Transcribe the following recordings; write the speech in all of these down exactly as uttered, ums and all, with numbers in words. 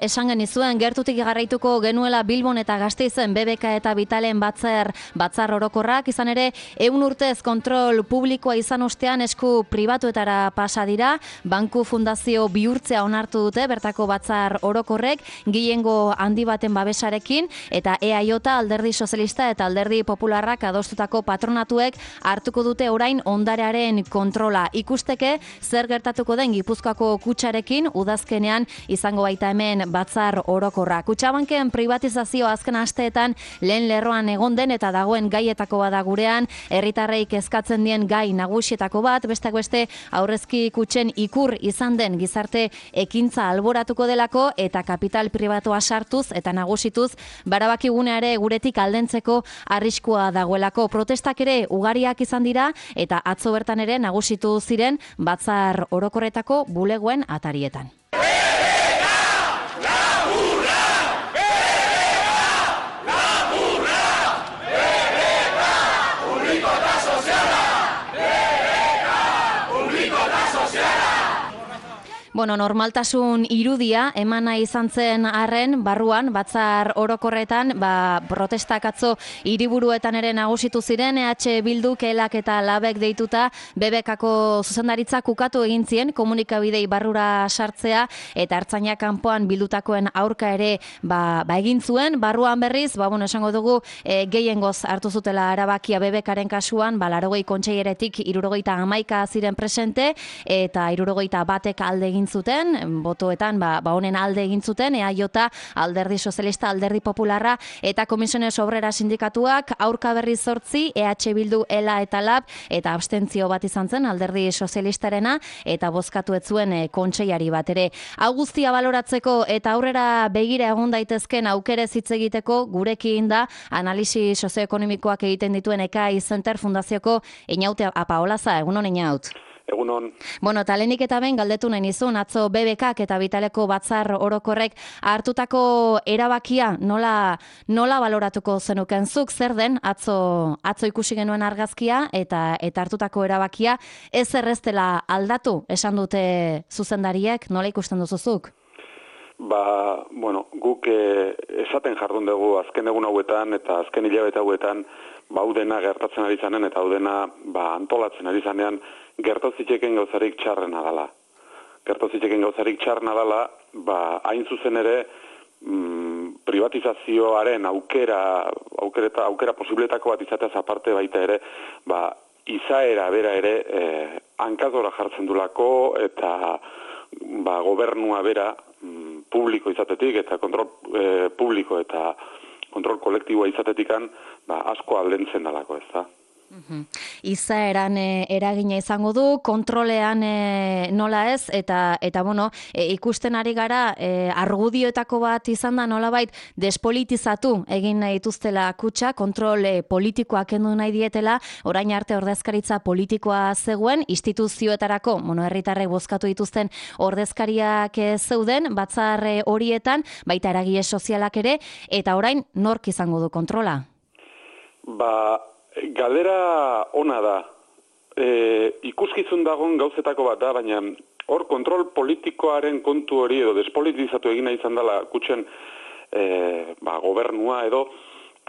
Esan genizuen, gertutik garraituko genuela Bilbon eta Gasteizen B B K eta Vitalen batzar, batzar orokorrak, izan ere, ehun urtez kontrol publikoa izan ostean esku pribatuetara pasa dira, banku fundazio bihurtzea onartu dute, bertako batzar orokorrek, gehiengo handi baten babesarekin, eta E A J, Alderdi Sozialista eta Alderdi Popularrak adostutako patronatuek hartuko dute orain ondarearen kontrola. Ikusteke, zer gertatuko den Gipuzkoako kutxarekin, udazkenean izango baita hemen batzar orokorra. Kutxabanken privatizazio azken asteetan lehen lerroan egon den eta dagoen gaietako bada gurean, herritarreik eskatzen dien gai nagusietako bat, besteak beste aurrezki kutxen ikur izan den gizarte ekintza alboratuko delako eta kapital pribatua sartuz eta nagusituz barabakigune ere guretik aldentzeko arriskua dagoelako. Protestak ere ugariak izan dira eta atzo bertan ere nagusitu ziren batzar orokorretako bulegoen atarietan. Bueno, normaltasun irudia emana izan zen arren, barruan, batzar orokorretan, ba, protestak atzo hiriburuetan ere nagusitu ziren, E H Bilduk, Elak eta Labek deituta, B B Kako zuzendaritzak ukatu egin zien, komunikabidei barrura sartzea, eta Ertzaina kanpoan bildutakoen aurka ere ba, ba egin zuen, barruan berriz, ba, bueno, esango dugu, e, gehiengoz hartu zutela erabakia B B Karen kasuan, ba, laurogei kontseileretik hirurogeita hamaika ziren presente, eta hirurogeita batek alde egin zuten, botoetan ba, ba honen alde egin zuten, E A J, Alderdi Sozialista, Alderdi Popularra eta Komisiones Obrera sindikatuak, aurka berri zortzi, E H Bildu, Ela eta Lab, eta abstentzio bat izan zen Alderdi Sozialistarena, eta bozkatu ez zuen e, kontseiari bat ere. Hau guztia baloratzeko eta aurrera begira egon daitezken aukerez hitz egiteko gurekin da analisi sozioekonomikoak egiten dituen Ekai Center Fundazioko Einaute Apaolaza, egunon Einaut. Egunon. Bueno, talenik eta ben galdetu nahi nizun, atzo B B Kak eta Vitaleko batzar orokorrek hartutako erabakia nola, nola baloratuko zenuken zuk, zer den atzo, atzo ikusi genuen argazkia eta eta hartutako erabakia ez erreztela aldatu, esan dute zuzendariek, nola ikusten duzuzuk? Ba, bueno, guk eh, esaten jardun dugu azken egun hauetan eta azken hilabete hauetan ba, udena gertatzen ari zanen eta udena ba, antolatzen ari zanean gertazitzeken gauzarik txarrena dala. Gertazitzeken gauzarik txarrena dala, ba, hain zuzen ere mm, privatizazioaren aukera, aukera, aukera posibletako bat izateaz aparte baita ere, ba, izaera bera ere eh, hankazora jartzen dulako eta ba, gobernua bera mm, publiko izatetik eta kontrol eh, publiko eta kontrol kolektiboa izatetikan ba, asko aldentzen dalako, ez da. Uhum. Izaeran e, eragina izango du, kontrolean e, nola ez, eta, eta bueno, e, ikusten ari gara, e, argudioetako bat izan da nolabait despolitizatu egin nahi dituztela kutxa, kontrol e, politikoa kendu nahi dietela, orain arte ordezkaritza politikoa zegoen, instituzioetarako, bueno, herritarrek bozkatu dituzten ordezkariak e, zeuden, batzar e, horietan, baita eragile sozialak ere, eta orain nork izango du kontrola? Ba, Galdera ona da. E, ikuskizun dagoen gauzetako bat da, baina hor kontrol politikoaren kontu hori edo despolitizatu egina izan dela kutxen e, ba, gobernua edo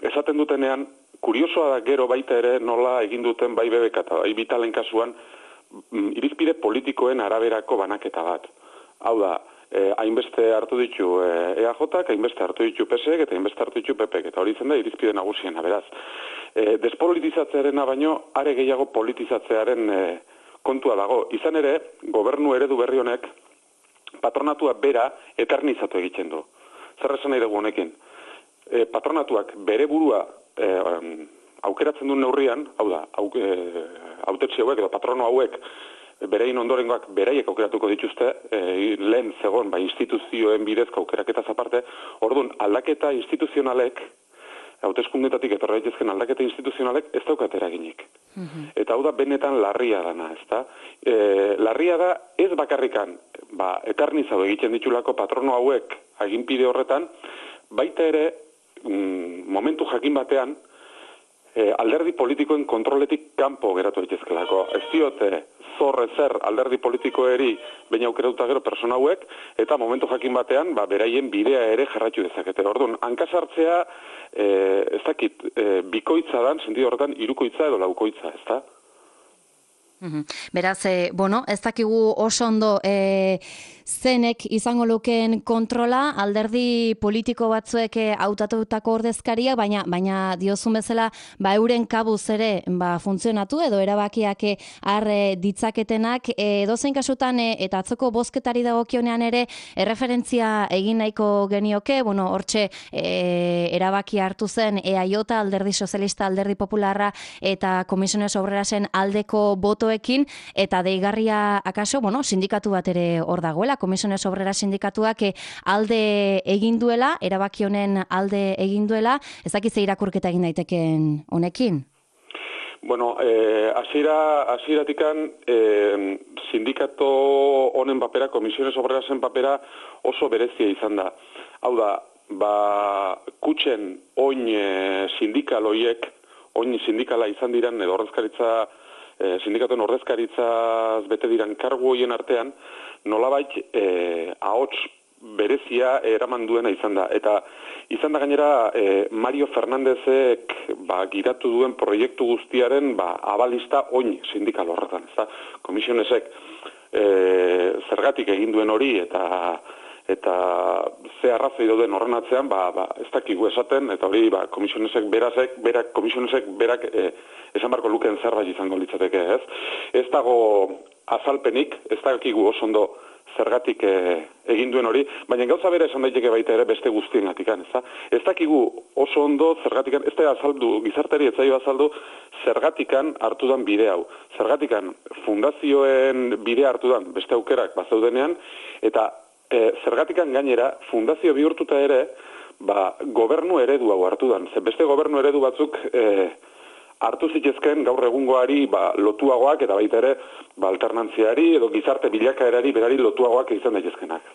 esaten dutenean, kuriosoa da gero baita ere nola egin duten bai B B K eta bai Vitalen kasuan irizpide politikoen araberako banaketa bat. Hau da, eh, hainbeste hartu ditu eh, E A Jak, hainbeste hartu ditu P S ek eta hainbeste hartu ditu P P ek, eta hori zen da irizpide nagusiena, beraz. Eh, despolitizatzearena baino, are gehiago politizatzearen eh, kontua dago. Izan ere, gobernu eredu berri honek patronatua bera eternizatu egiten du. Zer esan nahi dugu honekin? Eh, patronatuak bere burua eh, aukeratzen duen neurrian, hau da, hau, eh, hautetxe hauek edo patrono hauek berein ondorengoak beraiek aukeratuko dituzte, e, lehen zegoen ba, instituzioen bidezko aukeraketaz aparte, orduan aldaketa instituzionalek, hauteskundetatik etorra daitezken aldaketa instituzionalek ez daukat eraginik. Mm-hmm. Eta hau da benetan larria dana, ezta? E, larria da ez bakarrikan, ba, eternizau egiten ditulako patrono hauek aginpide horretan, baita ere, mm, momentu jakin batean, e, alderdi politikoen kontroletik kanpo geratu daitezkelako. Ez diote zor ezer alderdi politikoeri baina aukeratuta gero persona hauek, eta momentu jakin batean ba, beraien bidea ere jarraitu dezakete. Orduan, hankasartzea e, ez dakit, e, bikoitza dan, sentido horretan, hirukoitza edo laukoitza, ez da? Beraz, e, bueno, ez dakigu oso ondo e, zenek izango lukeen kontrola, alderdi politiko batzuek hautatutako ordezkaria, baina baina diozun bezala, ba euren kabuz ere ba funtzionatu edo erabakiak har ditzaketenak, e, edozein kasutan e, eta atzoko bozketari dagokionean ere erreferentzia egin nahiko genioke, bueno, hortxe e, erabaki hartu zen E A J, Alderdi Sozialista, Alderdi Popularra eta Comisiones Obrerasen aldeko botoekin, eta deigarria akaso, bueno, sindikatu bat ere hor dagoela, Comisiones Obreras sindikatuak alde egin duela, erabaki honen alde egin duela, ez dakit ze irakurketa egin daiteken honekin? Bueno, eh, asira, asiratikan eh, sindikato honen papera, Comisiones Obrerasen papera oso berezia izan da. Hau da, ba, kutxen oin eh, sindikal hoiek, oin sindikala izan diren, edo ordezkaritza, eh, sindikatuen ordezkaritzaz bete diren kargu hoien artean, nolabait eh, ahots berezia eraman duena izan da. Eta izan da gainera eh, Mario Fernandezek ba, giratu duen proiektu guztiaren ba, abalista oin sindikal horretan. Ez da? Komisionesek eh, zergatik egin duen hori eta eta ze arrazoi dauden horren atzean, ba, ba, ez dakigu esaten, eta hori ba, komisionesek berazek, berak, komisionesek berak eh, esan barko lukeen zerbait izango litzateke, ez? Ez dago azalpenik, ez dakigu oso ondo zergatik e, egin duen hori, baina gauza bera esan daiteke baita ere beste guztiengatikan, ez da? Ez dakigu oso ondo zergatikan, ez da azaldu, gizarteri ez zaio azaldu, zergatikan hartudan bide hau. Zergatikan fundazioen bidea hartudan beste aukerak bazaudenean, eta e, zergatikan gainera fundazio bihurtuta ere, ba, gobernu eredu hau hartudan. Ze beste gobernu eredu batzuk e, hartu zitezken gaur egungoari ba, lotuagoak eta baita ere ba, alternantziari edo gizarte bilakaerari berari lotuagoak izan daitezkenak.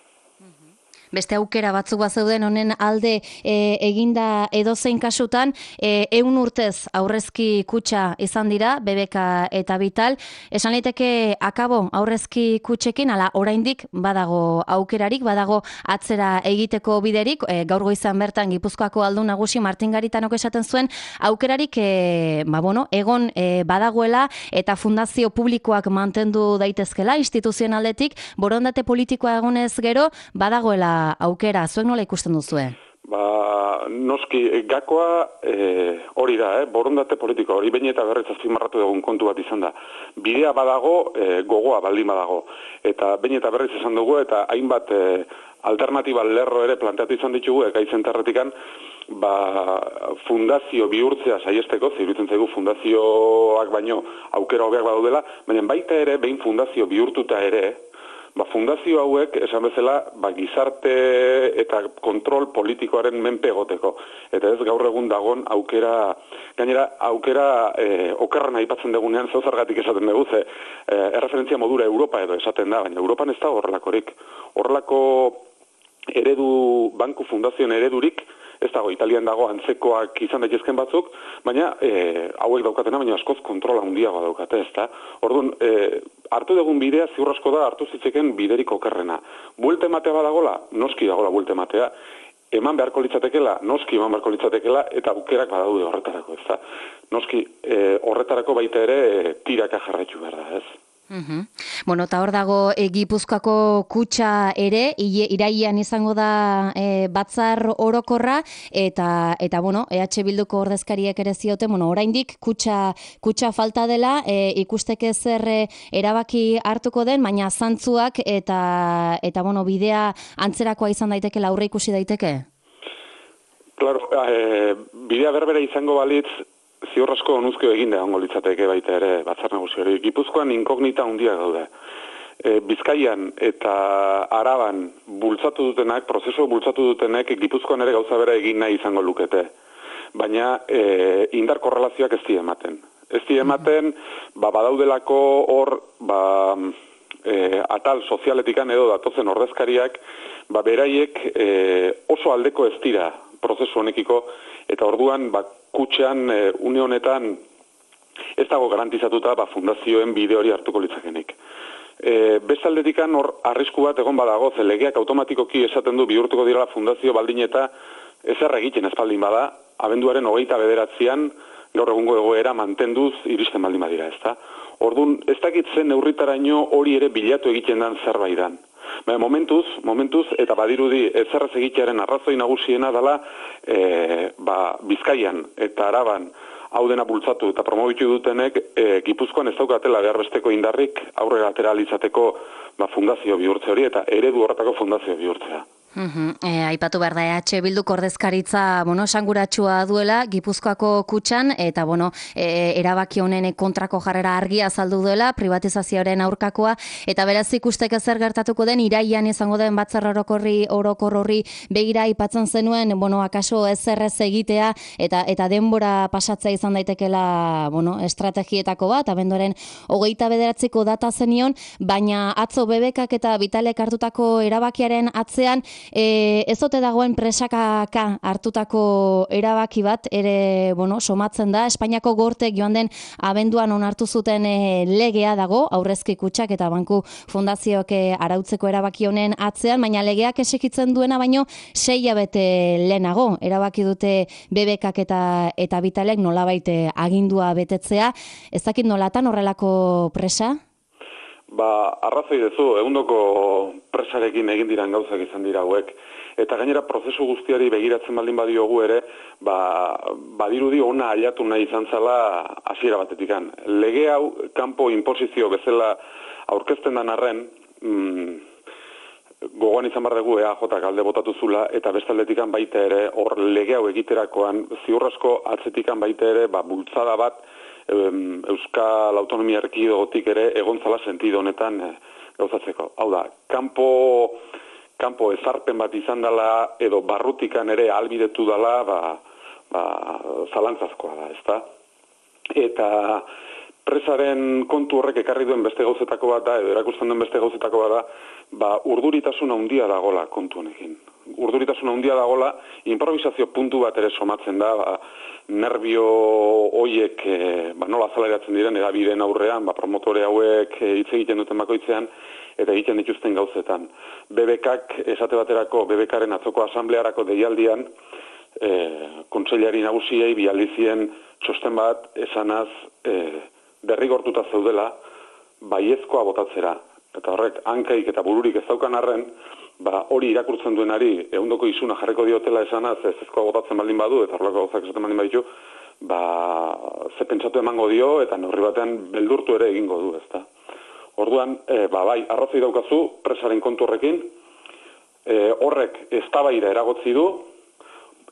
Beste aukera batzuk bazeuden honen alde e, eginda edozein kasutan, e, ehun urtez aurrezki kutxa izan dira, B B K eta Vital. Esan liteke akabo aurrezki kutxekin, ala oraindik badago aukerarik, badago atzera egiteko biderik, e, gaur goizan bertan Gipuzkoako aldun nagusi Martin Garitanok esaten zuen, aukerarik e, ba, bueno, egon e, badagoela eta fundazio publikoak mantendu daitezkela instituzionaldetik, borondate politikoa egonez gero, badagoela aukera, zuek nola ikusten duzue? Ba, noski, gakoa e, hori da, eh? Borondate politiko, hori behin eta berriz azpimarratu dugun kontu bat izan da. Bidea badago, e, gogoa baldin badago. Eta behin eta berriz esan dugu, eta hainbat e, alternatiba lerro ere planteatu izan ditugu, eka izentarretikan, ba, fundazio bihurtzea saiesteko, ziruditzen zaigu fundazioak baino aukera hobeak badaudela, baina baita ere, behin fundazio bihurtuta ere, ba, fundazio hauek, esan bezala, ba, gizarte eta kontrol politikoaren menpe egoteko. Eta ez gaur egun dagon aukera, gainera aukera e, okerran aipatzen dugunean zeuzargatik esaten dugu, ze e, erreferentzia modura Europa edo esaten da, baina Europan ez da horrelakorik. Horrelako eredu, banku fundazioen eredurik, ez dago, Italian dago antzekoak izan daitezken batzuk, baina e, hauek daukatena, baina askoz kontrola handiagoa daukate, ez da? Orduan, e, hartu dugun bidea ziur asko da hartu zitzeken biderik okerrena. Buelte ematea badagola, noski dagola buelte ematea, eman beharko litzatekela, noski eman beharko litzatekela, eta aukerak badaude horretarako, ez da? Noski, e, horretarako baita ere e, tiraka jarraitu behar da, ez? Uhum. Bueno, eta hor dago e, Gipuzkoako kutxa ere, irailean izango da e, batzar orokorra, eta, eta bueno, E H Bilduko ordezkariek ere zioten, bueno, oraindik kutxa, kutxa falta dela, e, ikusteke zer e, erabaki hartuko den, baina zantzuak eta, eta bueno, bidea antzerakoa izan daiteke, aurre ikusi daiteke? Claro, e, bidea berbera izango balitz, ziur asko onuzkio egin egongo litzateke baita ere batzar nagusi hori. Gipuzkoan inkognita handia gaude. E, Bizkaian eta Araban bultzatu dutenak, prozesu bultzatu dutenek Gipuzkoan ere gauza bera egin nahi izango lukete. Baina e, indar korrelazioak ez di ematen. Ez di ematen, ba, badaudelako hor, ba, e, atal sozialetikan edo datozen ordezkariak, ba, beraiek e, oso aldeko ez dira prozesu honekiko, eta orduan ba, kutxean e, une honetan ez dago garantizatuta ba, fundazioen bide hori hartuko litzakenik. E, Bestaldetikan hor arrisku bat egon badago, ze legeak automatikoki esaten du bihurtuko direla fundazio baldin eta ezer egiten espaldin bada, abenduaren hogeita bederatzian gaur egungo egoera mantenduz iristen baldin badira, ezta? Orduan, ez dakit zen neurritaraino hori ere bilatu egiten den zerbait dan. Baina momentuz, momentuz, eta badirudi ezerrez egitearen arrazoi nagusiena dela e, ba, Bizkaian eta Araban hau dena bultzatu eta promobitu dutenek e, Gipuzkoan ez daukatela behar besteko indarrik aurrera atera alizateko ba, fundazio bihurtze hori eta eredu horretako fundazio bihurtzea. Uhum. E, aipatu behar da, E H Bilduk ordezkaritza bueno, esanguratsua duela Gipuzkoako kutxan, eta bueno, e, erabaki honen kontrako jarrera argia azaldu duela, privatizazioaren aurkakoa, eta beraz ikusteke zer gertatuko den, iraian izango den batzar orokorri orokor horri begira aipatzen zenuen, bueno, akaso ezerrez egitea, eta eta denbora pasatzea izan daitekela bueno, estrategietako bat, abenduaren hogeita bederatziko data zenion, baina atzo B B Kak eta Vitalek hartutako erabakiaren atzean, E, ez ote dagoen presakaka hartutako erabaki bat ere bueno, somatzen da. Espainiako gortek joan den abenduan onartu zuten e, legea dago, aurrezki kutxak eta banku fundazioak e, arautzeko erabaki honen atzean, baina legeak esekitzen duena baino sei hilabete lehenago. Erabaki dute B B Kak eta, eta Vitalek nolabait agindua betetzea. Ez dakit nolatan horrelako presa? Ba, arrazoi dezu, egundoko presarekin egin diran gauzak izan dira hauek. Eta gainera prozesu guztiari begiratzen baldin badiogu ere, ba, badirudi ona ailatu nahi izan zala hasiera batetikan. Lege hau, kanpo inposizio bezala aurkezten dan arren, mm, gogoan izan behar dugu E A Jak alde botatu zula, eta bestaldetikan baita ere, hor lege hau egiterakoan, ziurrasko atzetikan baita ere, ba, bultzada bat, Euskal Autonomia Erkidegotik ere egontzala sentido honetan e, gauzatzeko. Hau da, kanpo, kanpo ezarpen bat izan dela edo barrutikan ere albidetu dela ba, ba, zalantzazkoa da, ezta? Eta presaren kontu horrek ekarri duen beste gauzetako bat da, edo erakusten duen beste gauzetako bat da, ba, urduritasun handia dagola kontu honekin. Urduritasun handia dagola, improvisazio puntu bat ere somatzen da, ba, nervio hoiek e, ba, nola azaleratzen diren edabideen aurrean, ba, promotore hauek hitz e, egiten duten bakoitzean, eta egiten dituzten gauzetan. B B Kak esate baterako B B Karen atzoko asamblearako deialdian, e, kontseilari nagusiei bialdizien txosten bat esanaz e, derrigortuta zeudela baiezkoa botatzera. Eta horrek hankaik eta bururik ez daukan arren, ba, hori irakurtzen duenari ehundoko isuna jarriko diotela esanaz ez ezkoa botatzen baldin badu, eta horrelako gauzak esaten baldin baditu, ba, ze pentsatu emango dio, eta neurri batean beldurtu ere egingo du, ezta. Orduan, e, ba, bai, arrazoi daukazu, presaren kontu horrekin, e, horrek eztabaida eragotzi du,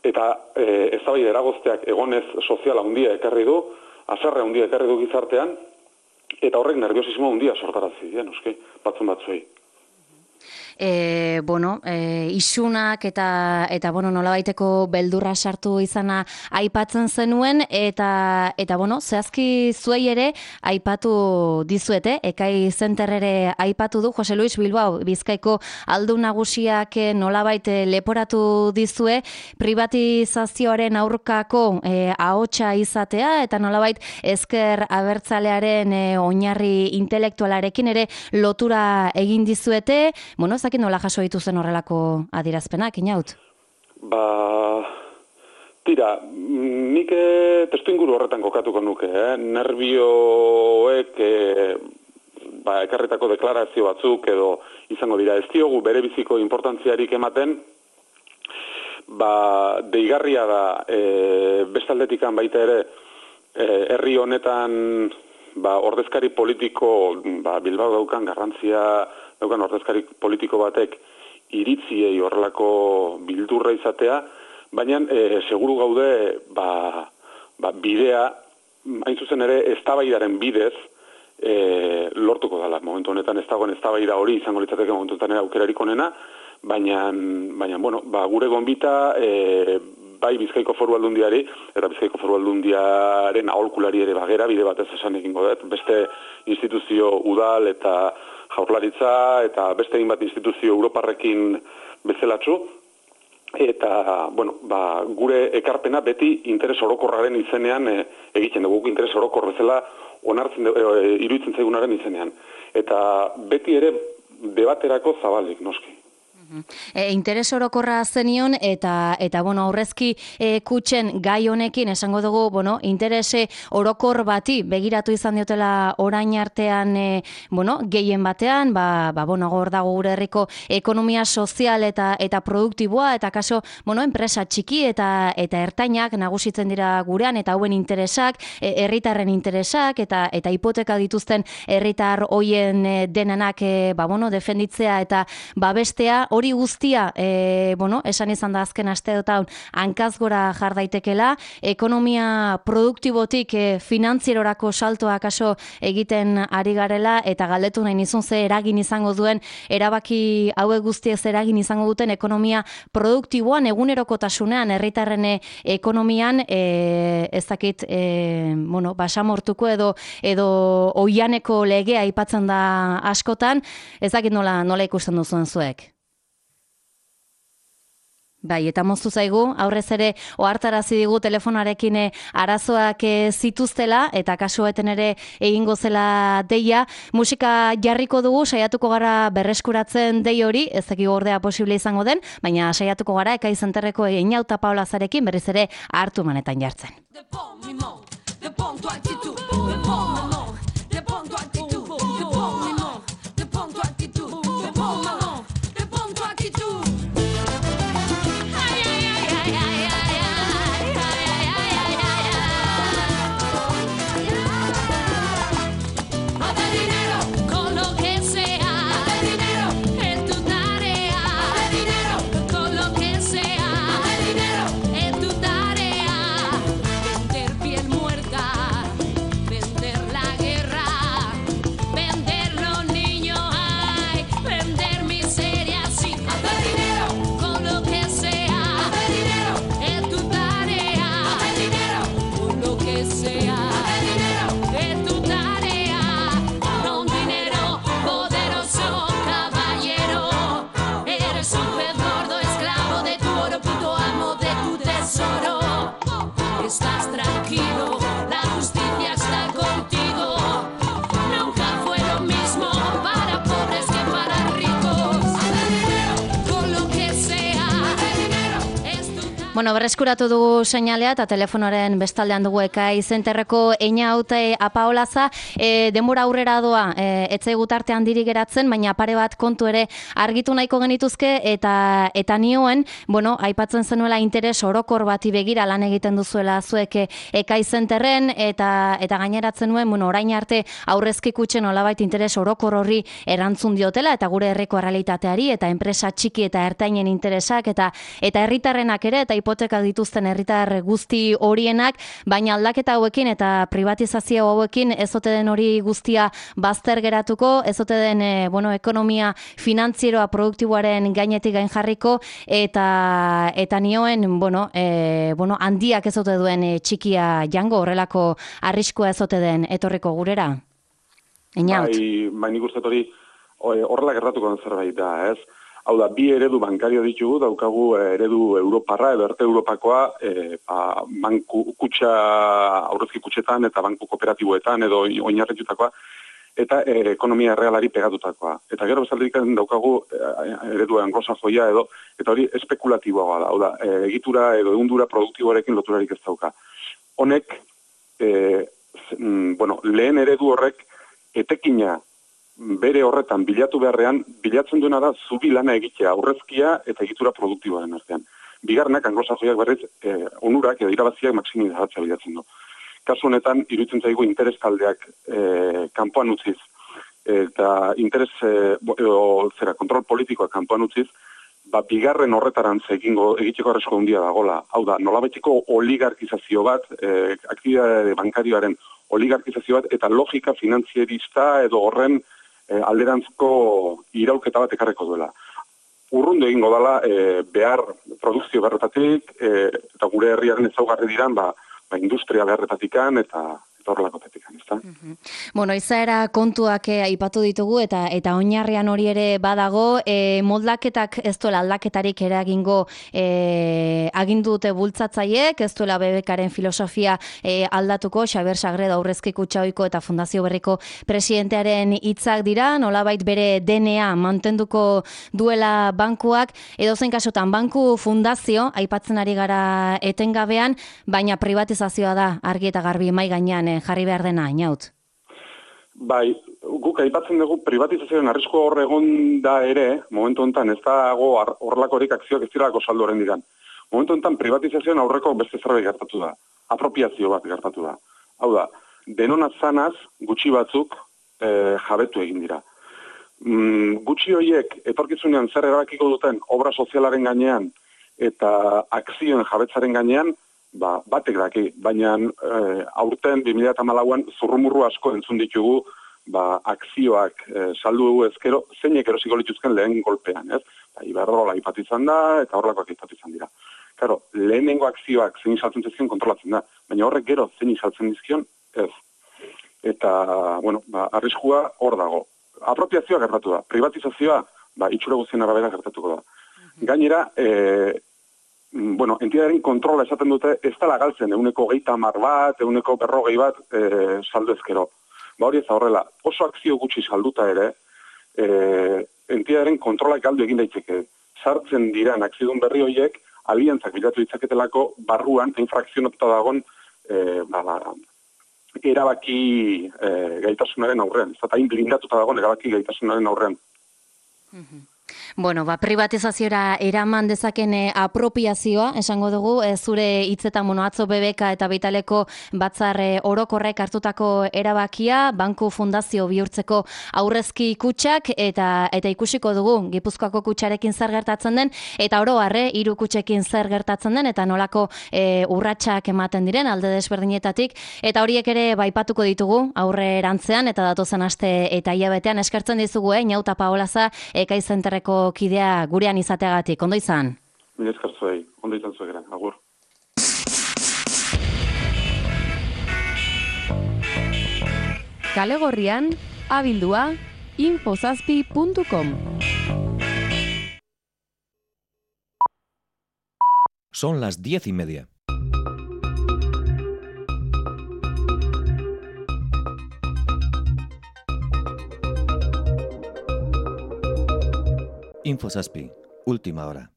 eta e, eztabaida eragozteak egonez soziala handia ekarri du, haserre handia ekarri du gizartean, eta horrek nerviosismo handia sortarazi dien, noski, batzun batzuei. E, bueno, e, isunak eta eta bueno, nolabaiteko beldurra sartu izana aipatzen zenuen eta eta bueno, zehazki zuei ere aipatu dizuete, Ekai Center ere aipatu du Jose Luis Bilbao, Bizkaiko aldun nagusiak nolabait leporatu dizue privatizazioaren aurkako e, ahotsa izatea eta nolabait ezker abertzalearen e, oinarri intelektualarekin ere lotura egin dizuete. Bueno, zakin nola jaso dituzen horrelako adierazpenak, Inaut? Ba, tira, nik testu inguru horretan kokatuko nuke, eh? Nervioek eh, ba, ekarritako deklarazio batzuk edo izango dira. Ez diogu bere biziko importantziarik ematen, ba, deigarria da e, bestaldetikan baita ere e, herri honetan ba, ordezkari politiko ba, Bilbao daukan garrantzia daukan ordezkari politiko batek iritziei horrelako bildurra izatea, baina e, seguru gaude ba, ba, bidea, hain zuzen ere eztabaidaren bidez e, lortuko dela. Momentu honetan ez dagoen eztabaida hori izango litzateke momentu honetan aukerarik onena, baina, baina bueno, ba, gure gonbita e, bai Bizkaiko Foru Aldundiari eta Bizkaiko Foru Aldundiaren aholkulari ere bagera, bide batez esan egingo dut, beste instituzio udal eta jaurlaritza eta beste egin bat instituzio Europarrekin bezelatxu, eta, bueno, ba, gure ekarpena beti interes orokorraren izenean e, egiten dugu, interes orokor bezala onartzen e, e, iruditzen zaigunaren izenean. Eta beti ere debaterako zabalik, noski. E, interes orokorra zenion eta eta bueno, aurrezki e, kutxen gai honekin esango dugu, bueno, interese orokor bati begiratu izan diotela orain artean, e, bueno, gehien batean, ba, ba bueno, hor dago gure herriko ekonomia sozial eta eta produktiboa eta kaso, bueno, enpresa txiki eta eta ertainak nagusitzen dira gurean eta hauen interesak, e, herritarren interesak eta eta hipoteka dituzten herritar hoien e, denenak e, ba bueno, defenditzea eta babestea. Hori guztia, e, bueno, esan izan da azken asteotan hankaz gora jar daitekela, ekonomia produktibotik e, finantzierorako saltoa kaso egiten ari garela eta galdetu nahi nizun ze eragin izango duen, erabaki hauek guztiek ze eragin izango duten ekonomia produktiboan, egunerokotasunean, herritarren ekonomian, e, ez dakit, e, bueno, basamortuko edo edo oianeko legea aipatzen da askotan, ez dakit nola, nola ikusten duzuen zuek. Bai, eta moztu zaigu, aurrez ere ohartarazi digu telefonarekin arazoak zituztela eta kasueten ere egingo zela deia. Musika jarriko dugu, saiatuko gara berreskuratzen dei hori, ez dakik ordea posible izango den, baina saiatuko gara Ekai Zenterreko Einaut eta Paula Zarekin berriz ere hartu manetan jartzen. Estás tranquilo, la justicia está contigo. Nunca fue lo mismo para pobres que para ricos. Con lo que sea. Bueno, berreskuratu dugu seinalea eta telefonoaren bestaldean dugu Ekai Zenterreko Einaut Apaolaza. E, denbora aurrera doa, e, etzaigu tarte handiri geratzen, baina pare bat kontu ere argitu nahiko genituzke eta eta nioen, bueno, aipatzen zenuela interes orokor bati begira lan egiten duzuela zuek Ekai Zenterren eta eta gaineratzen nuen, bueno, orain arte aurrezki kutxen nolabait interes orokor horri erantzun diotela eta gure herriko errealitateari eta enpresa txiki eta ertainen interesak eta eta herritarrenak ere eta hipoteka dituzten herritar guzti horienak, baina aldaketa hauekin eta privatizazio hauekin ez ote den hori guztia bazter geratuko, ez ote den e, bueno, ekonomia finantzieroa produktiboaren gainetik gain jarriko eta eta nioen, bueno, e, bueno, handiak ez ote duen e, txikia jango horrelako arriskua ez ote den etorriko gurera. Einaut. Bai, bai nik uste hori horrela gertatuko den zerbait da, ez? Hau da, bi eredu bankario ditugu, daukagu eredu Europarra edo erte Europakoa, e, ba, banku kutxa, aurrezki kutxetan eta banku kooperatiboetan edo oinarritutakoa, eta e, ekonomia errealari pegatutakoa. Eta gero bezaldik daukagu e, eredu anglosajoia edo, eta hori espekulatiboa da, hau da, e, egitura edo egundura produktiboarekin loturarik ez dauka. Honek, e, z, mm, bueno, lehen eredu horrek etekina bere horretan bilatu beharrean, bilatzen duena da zubi lana egitea, aurrezkia eta egitura produktiboaren artean. Bigarrenak, anglosajoiak berriz, eh, onurak edo irabaziak maximizatzea bilatzen du. Kasu honetan, iruditzen zaigu interes taldeak eh, kanpoan utziz, eta interes, eh, edo, zera, kontrol politikoa kanpoan utziz, ba, bigarren horretarantz egingo egiteko arresko handia dagola. Hau da, nolabaiteko oligarkizazio bat, eh, aktibitate bankarioaren oligarkizazio bat, eta logika finantzierista edo horren E, alderantzko iraulketa bat ekarreko duela. Urrundu egingo dela e, behar produkzio beharretatik e, eta gure herriaren ezaugarri diran ba, ba industria beharretatikan eta, eta horrelakotetikan. ezta? Bueno, izaera kontuak eh, aipatu ditugu eta eta oinarrian hori ere badago, e, moldaketak ez duela aldaketarik eragingo e, agindu dute bultzatzaiek, ez duela B B Karen filosofia e, aldatuko, Xabier Sagredo Aurrezki Kutxa Ohiko eta Fundazio Berriko presidentearen hitzak dira, nolabait bere D N A mantenduko duela bankuak, edozein kasutan banku fundazio aipatzen ari gara etengabean, baina privatizazioa da argi eta garbi mai gainean eh, jarri behar dena, Inaut. Bai, guk aipatzen dugu privatizazioaren arrisko hor egon da ere, momentu honetan ez dago horrelakorik akzioak ez direlako saldu horren diran. Momentu honetan privatizazioan aurreko beste zerbait gertatu da, apropiazio bat gertatu da. Hau da, denona zanaz gutxi batzuk e, jabetu egin dira. Mm, gutxi horiek etorkizunean zer erabakiko duten obra sozialaren gainean eta akzioen jabetzaren gainean, ba, batek daki, baina e, aurten bi mila hamalauan zurrumurru asko entzun ditugu ba, akzioak e, saldu dugu ezkero, zeinek erosiko lituzken lehen golpean, ez? Ba, Iberdrola aipatu izan da, eta horrelakoak aipatu izan dira. Claro, lehenengo akzioak zein saltzen dizkion kontrolatzen da, baina horrek gero zein saltzen dizkion, ez. Eta, bueno, ba, arriskua hor dago. Apropiazioa gertatu da, privatizazioa, ba, itxura guztien arabera gertatuko da. Gainera, e, bueno, entidaren kontrola esaten dute, ez dela galtzen, eguneko geita hamar bat, eguneko berrogei bat e, saldu ezkero. Ba hori ez horrela, oso akzio gutxi salduta ere, e, entidaren kontrolak galdu egin daiteke. Sartzen diran akzidun berri horiek, aliantzak bilatu ditzaketelako barruan, infrakzionatuta dagon, e, ba, ba, erabaki e, gaitasunaren aurrean. Ez da, hain blindatuta dagon erabaki gaitasunaren aurrean. Bueno, ba, privatizazioa eraman dezaken eh, apropiazioa, esango dugu, eh, zure hitzetan mono atzo B B K eta Vitaleko batzar eh, orokorrek hartutako erabakia, banku fundazio bihurtzeko aurrezki kutxak, eta eta ikusiko dugu Gipuzkoako kutxarekin zer gertatzen den, eta oro harre, hiru kutxekin zer gertatzen den, eta nolako eh, urratsak ematen diren alde desberdinetatik, eta horiek ere baipatuko ditugu aurre erantzean, eta datozen aste eta hilabetean eskertzen dizugu, eh, Inauta Paolaza, Ekai Zenterreko kidea gurean izateagatik, ondo izan? Mila esker zuei, ondo izan zuegera, agur. Kale Gorrian, abildua, infozazpi puntu com. Son las diez y media. Infozazpi, última hora.